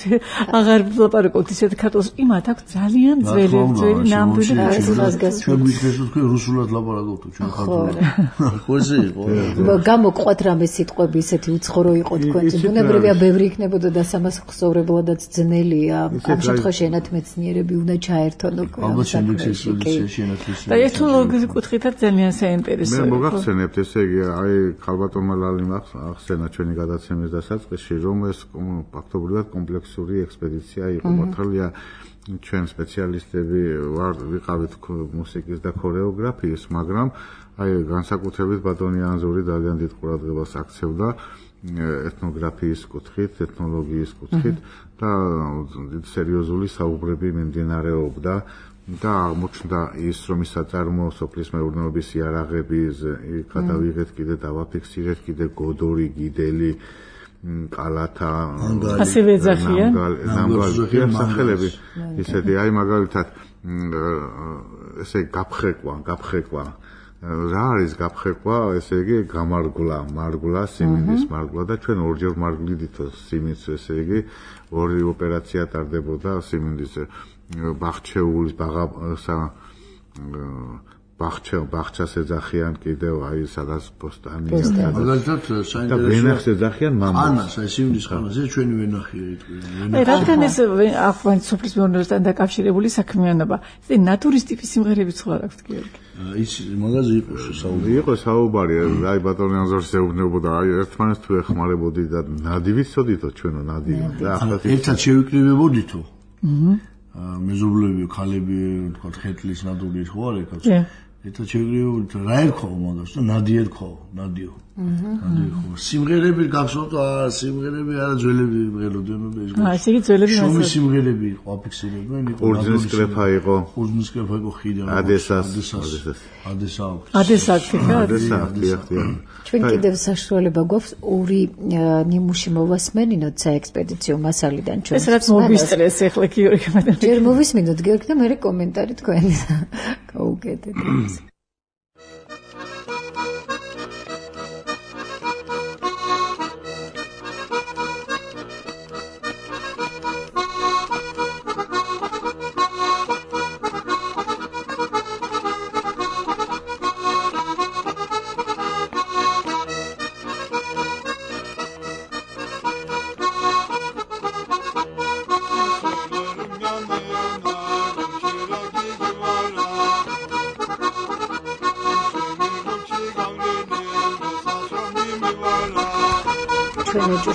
აღარ ვლაპარაკობთ ისეთ ქართულს იმათ აქვს ძალიან ძველი ძველი ნამდვილი ხაზგასმით ჩვენ გვიქნეს თქვენ რუსულად ლაპარაკობთ ჩვენ ქართულად ხო ესე იყო გამოყვათ რამე სიტყვები ისეთი უცხორო იყო თქვენს ბუნებრივია ბევრი იქნებოდა და სამასხსოვრებლადაც ძნელია ამ შემთხვევაში ენათმეცნიერები უნდა ჩაერთონ ალბათ შემდეგში ენათმეცნიერები და ეთნოლოგიის კუთხითაც ძალიან საინტერესოა. მე მოგახსენებთ ესე იგი აი ქალბატონმა ლალიმ ახსენა ჩვენი გადაცემის დასაწყისში რომ ეს ფაქტობრივად კომპლექსური ექსპედიცია იყო მართალია ჩვენ სპეციალისტები ვარ ვიყავით მუსიკის და ქორეოგრაფიის მაგრამ აი განსაკუთრებით ბატონი ანზური ძალიან დიდ ყურადღებას აქცევდა ეთნოგრაფიის კუთხით, ეთნოლოგიის კუთხით და სერიოზული საუბრები მიმდინარეობდა და აღმოჩნდა ის რომ ის საწარმო სოფლის მეურნეობის იარაღები გადავიღეთ კიდე დავაფიქსირეთ კიდე გოდორი გიდელი კალათა ასევე ეძახიან ნამგალი სახელები ისეთი აი მაგალითად ესე გაფხეკვა გაფხეკვა რა არის გაფხეკვა ესე იგი გამარგვლა მარგვლა სიმინდის მარგვლა და ჩვენ ორჯერ მარგვლიდითო სიმინდს ესე იგი ორი ოპერაცია ტარდებოდა სიმინდის ბახჩეულის ბაღასა ბახჩა ბახჩას ეძახიან კიდევ აი სადაც პოსტანია მაგალითად საინტერესოა და ვენახს ეძახიან მამას ანას აი სიმინდის ხანაზე ჩვენი ვენახია იტყვი აი რადგან ეს ახლა სოფლის მეურნეობასთან დაკავშირებული საქმიანობა ეს ნატურის ტიპის სიმღერები სხვა აქვს გიორგი ის მაგაზე იყო საუბარი იყო საუბარი აი ბატონი ანზორს ეუბნებოდა აი ერთმანეთს თუ ეხმარებოდი და ნადივით წოდითო ჩვენო ნადივი და ახლა ერთად შევიკრიბებოდითო აჰა მეზობლები, ქალები, თქვა ხეთლის ნადურის ხო არ ეკაც. это ჩეგრიო რა ერქვა მაგას და ნადი ერქვა ნადიო ნადი ერქვა სიმღერები გახსოვთ სიმღერები არა ძველები მღეროდნენ ეს აა ესე იგი ძველები შუმი სიმღერები იყო აფიქსირებდნენ ორჯინის კრეფა იყო ორჯინის კრეფა იყო ხიდან ადესას ადესა ადესას ადესა ჩვენ კიდევ საშუალება გვაქვს ორი ნიმუში მოვასმენინოთ საექსპედიციო მასალიდან ჩვენ ეს რაც მოვისწრეს ახლა გიორგი მადლი ჯერ მოვისმინოთ გიორგი და მე კომენტარი თქვენი გაუგეთეთ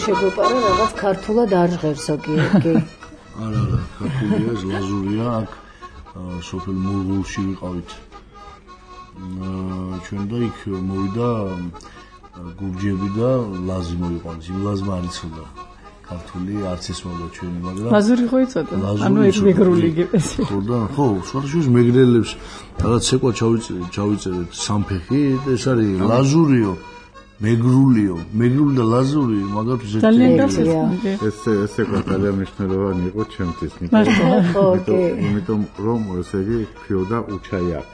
შეგვეპარა რაღაც ქართულად არ ჟღერს გიორგი. არა, არა, ქართულია, ლაზურია, აქ სოფელ მურღულში ვიყავით. ჩვენ და იქ მოვიდა გურჯები და ლაზი მოიყვანეს. იმ ლაზმა არ იცოდა ქართული არც ის მოდა ჩვენი, მაგრამ ლაზური ხო იცოდა? ანუ ეს მეგრული იგებს. ხო და ხო, სხვადასხვა მეგრელებს რაღაც ცეკვა ჩავიწერეთ, ჩავიწერეთ სამფეხი, ეს არის ლაზურიო. მეგრულიო, მეგრული და ლაზური, მაგალითად ეს ეს ეს ეგ ძალიან მნიშვნელოვანი იყო ჩემთვის, იმიტომ რომ ესე იგი ფიოდა უჩაიაკ.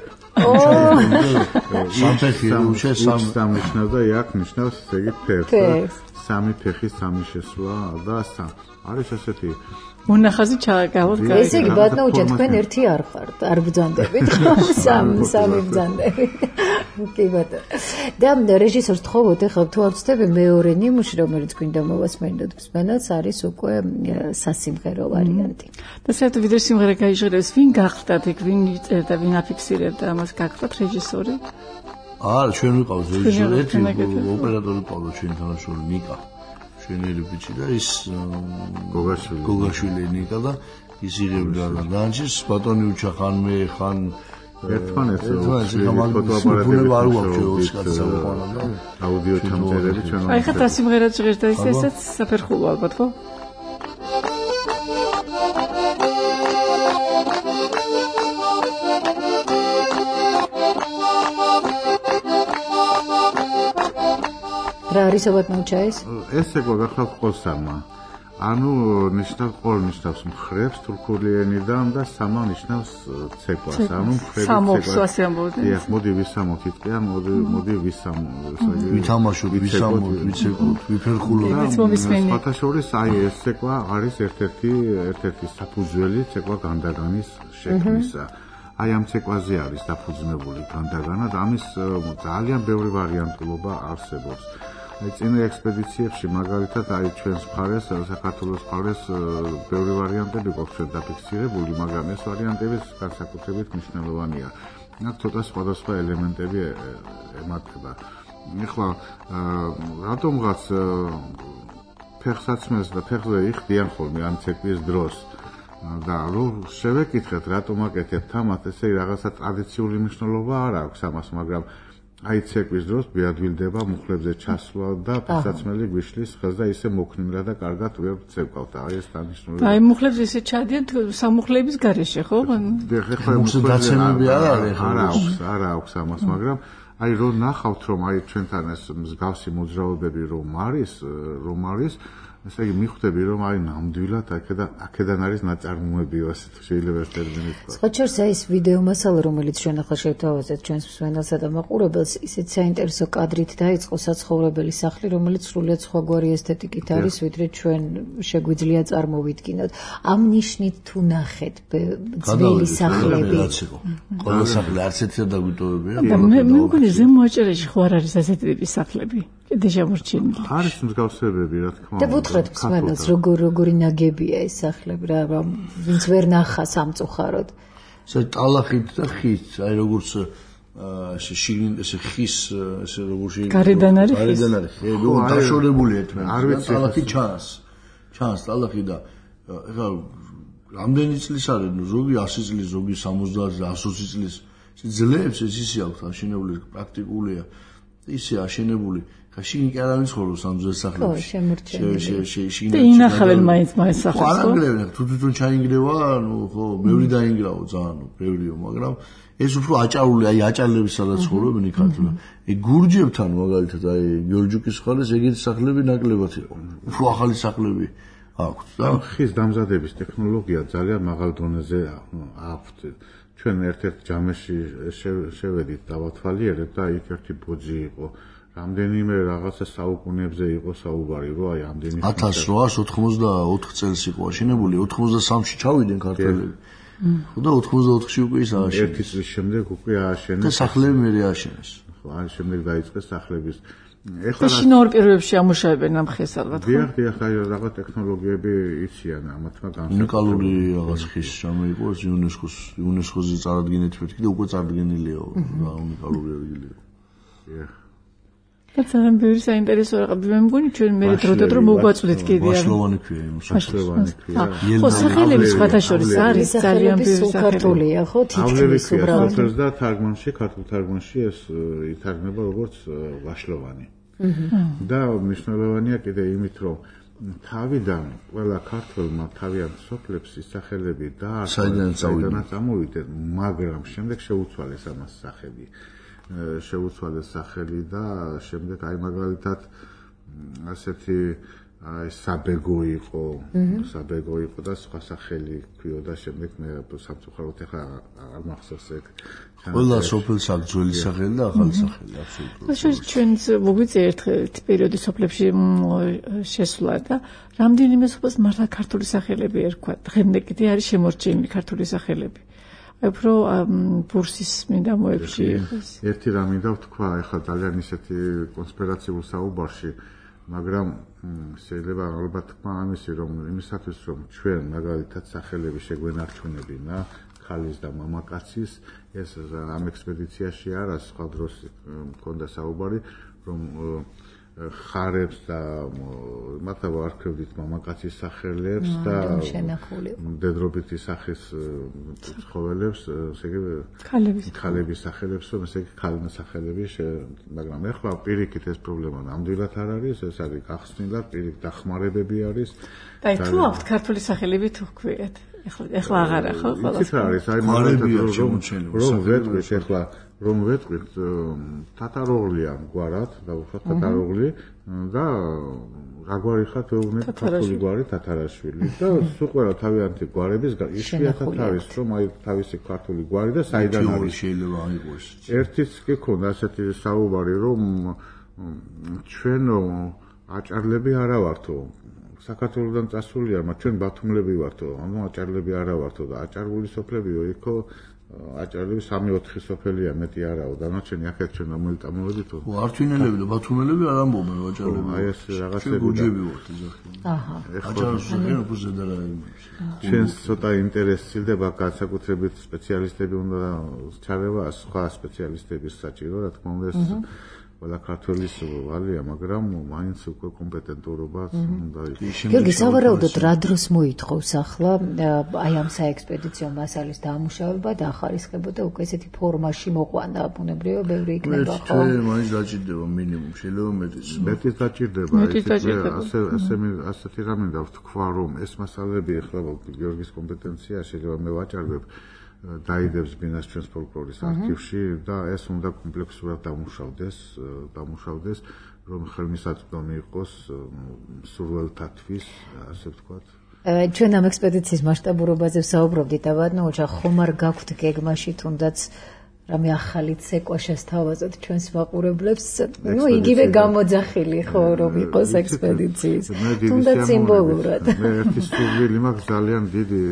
სამფეხი უჩა სამ სამნიშნავდა იაკ ნიშნავს ესე იგი ფეხს. სამი ფეხი, სამი შესვლა და სამ. არის ესეთი მონახაზი ჩააგავოთ გაიგე. ესე იგი ბატონო, თქვენ ერთი არ ხართ, არ ბრძანდებით, ხო? სამი სამი ბრძანდებით. კი ბატონო. და რეჟისორს თხოვოთ, ეხლა თუ არ ვცდები მეორე ნიმუში, რომელიც გვინდა მოვასმენოთ მსმენელს, არის უკვე სასიმღერო ვარიანტი. და საერთოდ ვიდრე სიმღერა გაიჟღერებს, ვინ გახდათ იქ, ვინ იწერდა, ვინ აფიქსირებდა ამას, გახდათ რეჟისორი? არა, ჩვენ ვიყავთ რეჟისორი, ერთი ოპერატორი ყავდა ჩვენი თანაშრომელი ნიკა. ჩვენელი ბიჭი და ის გოგაშვილი გოგაშვილი ნიკა და ის იღებდა და განჭის ბატონი უჩა ხან მე ხან ერთმანეთს ფოტოაპარატები არ გვაქვს კაცსა უყანა და აუდიო ჩამწერები ჩვენ აი ხა სიმღერა ჟღერდა ის ესეც საფერხულო ალბათ ხო? რა არის აბათ მოჩაეს? ეს ეგვა გახლავთ ყოლსამა. ანუ ნიშნავს ყოლ ნიშნავს მხრებს თურქული ენიდან და სამა ნიშნავს ცეკვას. ანუ მხრები ცეკვას ამბობთ. დიახ, მოდი ვისამოთ იტყვია, მოდი მოდი ვისამოთ. ვითამაშოთ, ვისამოთ, ვიცეკვოთ, ვიფერხულოთ. ფათაშორის აი ეს ცეკვა არის ერთ-ერთი ერთ-ერთი საფუძველი ცეკვა განდაგანის შექმნისა. აი ამ ცეკვაზე არის დაფუძნებული განდაგანა და ამის ძალიან ბევრი ვარიანტულობა არსებობს. აი წინა ექსპედიციებში მაგალითად აი ჩვენს მხარეს საქართველოს მხარეს ბევრი ვარიანტები გვაქვს ჩვენ დაფიქსირებული, მაგრამ ეს ვარიანტები განსაკუთრებით მნიშვნელოვანია. აქ ცოტა სხვადასხვა ელემენტები ემართება. ეხლა რატომღაც ფეხსაცმელს და ფეხზე იხდიან ხოლმე ამ ცეკვის დროს და რომ შევეკითხეთ რატომ აკეთებთ ამას, ესე რაღაცა ტრადიციული მნიშვნელობა არ აქვს ამას, მაგრამ აი ცეკვის დროს ბიადვილდება მუხლებზე ჩასვლა და ფეხსაცმელი გვიშლის ხელს და ისე მოქნივრა და კარგად ვერ ცეკვავთ. აი ეს დანიშნულება. აი მუხლებზე ისე ჩადიან სამუხლების გარეშე, ხო? ეხლა მუხლები არ არის, არა აქვს, არა აქვს ამას, მაგრამ აი რომ ნახავთ რომ აი ჩვენთან ეს მსგავსი მოძრაობები რომ არის, რომ არის ესე იგი მიხვდები რომ აი ნამდვილად აქედან აქედან არის ნაწარმოებიო ასე შეიძლება ეს ტერმინი თქვა. სხვაჩერს აი ეს ვიდეო მასალა რომელიც ჩვენ ახლა შევთავაზეთ ჩვენს მსმენელსა და მაყურებელს ისეთ საინტერესო კადრით დაიწყო საცხოვრებელი სახლი რომელიც სრულიად სხვაგვარი ესთეტიკით არის ვიდრე ჩვენ შეგვიძლია წარმოვიდგინოთ. ამ ნიშნით თუ ნახეთ ძველი სახლები ყველა სახლი არც ერთი დაგვიტოვებია. მე მგონი ზემოაჭერაში ხო არ არის ასეთი ტიპის სახლები. კიდე შემორჩენილი. არის მსგავსებები რა თქმა უნდა. და ვუთხრეთ მსმენელს როგორ როგორი ნაგებია ეს სახლები რა ვინც ვერ ნახა სამწუხაროდ. ეს ტალახით და ხით, აი როგორც ესე შიგნით ესე ხის ესე როგორ შეგიძლია. გარედან არის ხის. გარედან არის ხე, ნუ დაშორებული ერთმანეთს. ტალახი ჩანს. ჩანს ტალახი და ეხლა რამდენი წლის არის, ნუ ზოგი ასი წლის, ზოგი სამოცდაათი, ათი წლის. ძლებს ეს ისე აქვს აშენებული პრაქტიკულია ისე აშენებული ხაშინ კი არ ამიცხოვს ამ ძველ სახლებში შემორჩენილი და ინახავენ მაინც მაინც სახლს ხო არანგრევენ თუ თვითონ ჩაინგრევა ნუ ხო ბევრი დაინგრაო ძალიან ბევრიო მაგრამ ეს უფრო აჭარული აი აჭარლების სადაც ცხოვრობენ იქ ქართულად ეგ გურჯებთან მაგალითად აი გიორჯუკის ხალეს ეგეთი სახლები ნაკლებად იყო უფრო ახალი სახლები აქვს და ხის დამზადების ტექნოლოგია ძალიან მაღალ დონეზე აქვთ ჩვენ ერთ-ერთ ჯამეში შევედით დავათვალიერეთ და იქ ერთი ბოძი იყო რამდენიმე რაღაცა საუკუნეებზე იყო საუბარი რომ აი ამდენი ათას რვაას ოთხმოცდაოთხ წელს იყო აშენებული ოცდამეცხრეში ჩავიდნენ ქართველები ხო და ოცდაოთხში უკვე ის ააშენეს ერთი წლის შემდეგ უკვე ააშენეს და სახლები მე ააშენეს ხო აი შემდეგ დაიწყეს სახლების ეხლა შინაურ პირობებში ამუშავებენ ამ ხეს ალბათ ხო? დიახ, დიახ, აი რაღაც ტექნოლოგიები იციან ამათმა განსაკუთრებული. უნიკალური რაღაც ხის შემოიყო იუნესკოს იუნესკოზე წარადგენეთ მეთქი და უკვე წარდგენილია რა უნიკალური ადგილია. დიახ. და ძალიან ბევრი საინტერესო რაღაცები მე მგონი ჩვენ მე დროდადრო მოგვაწვდეთ კიდე არ ვაშლოვანი ქვია იმას ვაშლოვანი ქვია ხო სახელები სხვათა შორის არის ძალიან ბევრი საქართველია ხო თითქმის უბრალოდ და თარგმანში ქართულ თარგმანში ეს ითარგმნება როგორც ვაშლოვანი და მნიშვნელოვანია კიდე იმით რომ თავიდან ყველა ქართველმა თავიანთ სოფლებს სახელები დაარქვეს საიდანაც წამოვიდნენ მაგრამ შემდეგ შეუცვალეს ამას სახელი შეუცვალეს სახელი და შემდეგ აი მაგალითად ასეთი აი საბეგო იყო საბეგო იყო და სხვა სახელი ქვიოდა შემდეგ მე სამწუხაროდ ახლა არ მახსოვს ეგ ყველა სოფელს აქვს ძველი სახელი და ახალი სახელი აბსოლუტურად ეს ჩვენს მოგვიწია ერთ პერიოდი სოფლებში შესვლა და რამდენიმე სოფელს მართლა ქართული სახელები ერქვა დღემდე კიდე არის შემორჩენილი ქართული სახელები უფრო ბურსის მიდამოებში ერთი რამ მინდა ვთქვა ახლა ძალიან ისეთი კონსპირაციულ საუბარში მაგრამ შეიძლება ალბათ თქვა ამისი რომ იმისათვის რომ ჩვენ მაგალითად სახელები შეგვენარჩუნებინა ქალის და მამაკაცის ეს ამ ექსპედიციაში არა სხვა დროს მქონდა საუბარი რომ ხარებს და მათა ვარქევდით მამაკაცის სახელებს და დედრობითი სახის ცხოველებს, ესე იგი ქალების სახელებს, ესე იგი ქალინა სახელები, მაგრამ ეხლა პირიქით ეს პრობლემა ნამდვილად არ არის, ეს არის გახსნილად, პირიქით დახმარებები არის. და თუ აქვთ ქართული სახელები თუ გვქვიათ. ეხლა ეხლა აღარა ხო ყველა. ის არის, აი მაგალითად რომ ვეტყვით ეხლა რომ ვეტყვით თათაროღლია გვარად და უბრალოდ თათაროღლი და რა გვარი ხათ ვეუბნეთ ქართული გვარი თათარაშვილი და სულ ყველა თავიანთი გვარების იშვიათად არის რომ აი თავისი ქართული გვარი და საიდან არის შეიძლება აიღოს ერთიც კი ქონდა ასეთი საუბარი რომ ჩვენო აჭარლები არა ვართო საქართველოსდან წასულია მაგრამ ჩვენ ბათუმლები ვართო ანუ აჭარლები არა ვართო და აჭარული სოფლებიო იქო აჭარლები სამი ოთხი სოფელია მეტი არაო დანარჩენი აქეთ ჩვენ მომიტამოვედით ხო ართვინელები და ბათუმელები არ ამბობენ აჭარლები აი ეს რაღაცები გუჯები ვართ ეძახი აჰა აჭარლები უფრო ზედა ჩვენ ცოტა ინტერესი სცილდება განსაკუთრებით სპეციალისტები უნდა ჩარევა სხვა სპეციალისტების საჭირო რა თქმა უნდა ეს ყველა ქართველის ვალია, მაგრამ მაინც უკვე კომპეტენტურობა უნდა იყოს. გიორგი, სავარაუდოდ რა დროს მოითხოვს ახლა აი ამ საექსპედიციო მასალის დამუშავება და ახალისხება და უკვე ესეთი ფორმაში მოყვანა ბუნებრივია ბევრი იქნება ხო? მე მაინც დაჭირდება მინიმუმ, შეიძლება მეტიც. მეტიც დაჭირდება, ასე ასე ასეთი რამე და ვთქვა რომ ეს მასალები ახლა გიორგის კომპეტენცია შეიძლება მე ვაჭარბებ დაიდებს ბინას ჩვენს ფოლკლორის არქივში და ეს უნდა კომპლექსურად დამუშავდეს, დამუშავდეს, რომ ხელმისაწვდომი იყოს სურველთათვის, ასე ვთქვათ. ჩვენ ამ ექსპედიციის მასშტაბურობაზე ვსაუბრობდით, აბანო, ოჩა ხომ არ გაქვთ გეგმაში თუნდაც რამე ახალი ცეკვა შესთავაზოთ ჩვენს მაყურებლებს, ну, იგივე გამოძახილი ხო რომ იყოს ექსპედიციის. თუნდაც სიმბოლურად. მე ერთი სურვილი მაქვს ძალიან დიდი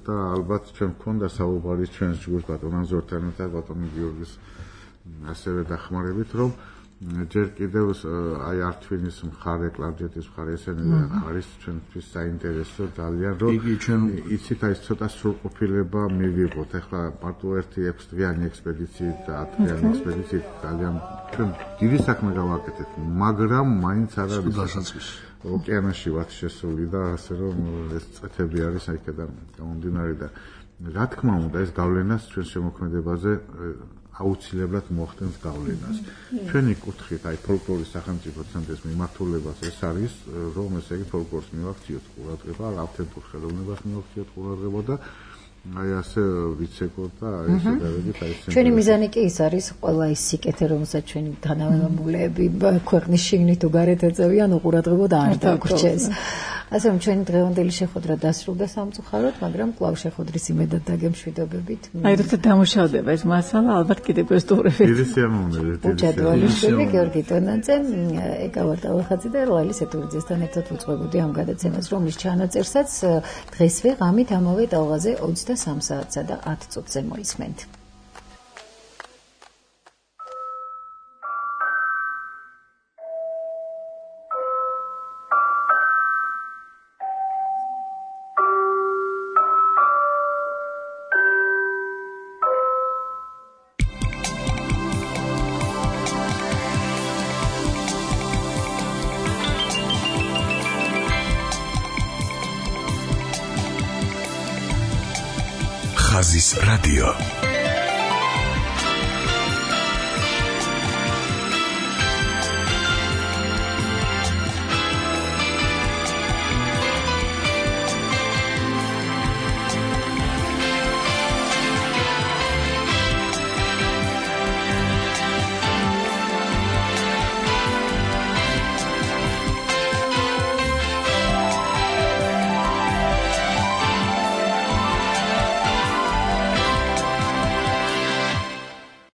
და ალბათ ჩვენ მქონდა საუბარი ჩვენს ჯგუფს ბატონ ანზორთან და ბატონ გიორგის ასევე დახმარებით, რომ ჯერ კიდევ აი ართვინის მხარე, კლარჯეთის მხარე ესენი არის ჩვენთვის საინტერესო ძალიან, რომ იცით აი ცოტა სრულყოფილება მივიღოთ. ახლა მარტო ერთი ექვს დღიანი ექსპედიციით და ათ დღიანი ექსპედიციით ძალიან ჩვენ დიდი საქმე გავაკეთეთ, მაგრამ მაინც არ არის ოკეანეში ვართ შესული და ასე რომ ეს წეთები არის აქედან გამომდინარე და რა თქმა უნდა ეს გავლენას ჩვენ შემოქმედებაზე აუცილებლად მოახდენს გავლენას. ჩვენი კუთხით აი ფოლკლორის სახელმწიფო ცენტრის მიმართულებას ეს არის რომ ესე იგი ფოლკლორს მივაქციოთ ყურადღება, ავთენტურ ხელოვნებას მივაქციოთ ყურადღება და აი ასე ვიცეკოთ და აი შედარებით აი ეს ჩვენი მიზანი კი ის არის ყველა ის სიკეთე რომელსაც ჩვენი თანამემამულეები ქვეყნის შიგნით თუ გარეთ ეწევიან უყურადღებოდ არ დაგვრჩეს. ასე რომ ჩვენი დღევანდელი შეხვედრა დასრულდა სამწუხაროდ, მაგრამ კვლავ შეხვედრის იმედად დაგემშვიდობებით. აი როცა დამუშავდება ეს მასალა ალბათ კიდევ ესტუმრებით. დიდი სიამოვნებით. უჯადვალიშვილი, გიორგი ტონაძე, ეკავარ ტალახაძე და ლალი სეთურიძესთან ერთად უძღვებოდი ამ გადაცემას, რომლის ჩანაწერსაც დღესვე ღამით ამავე ტალღაზე ოცდასამ საათსა და ათ წუთზე მოისმენთ. ხაზის რადიო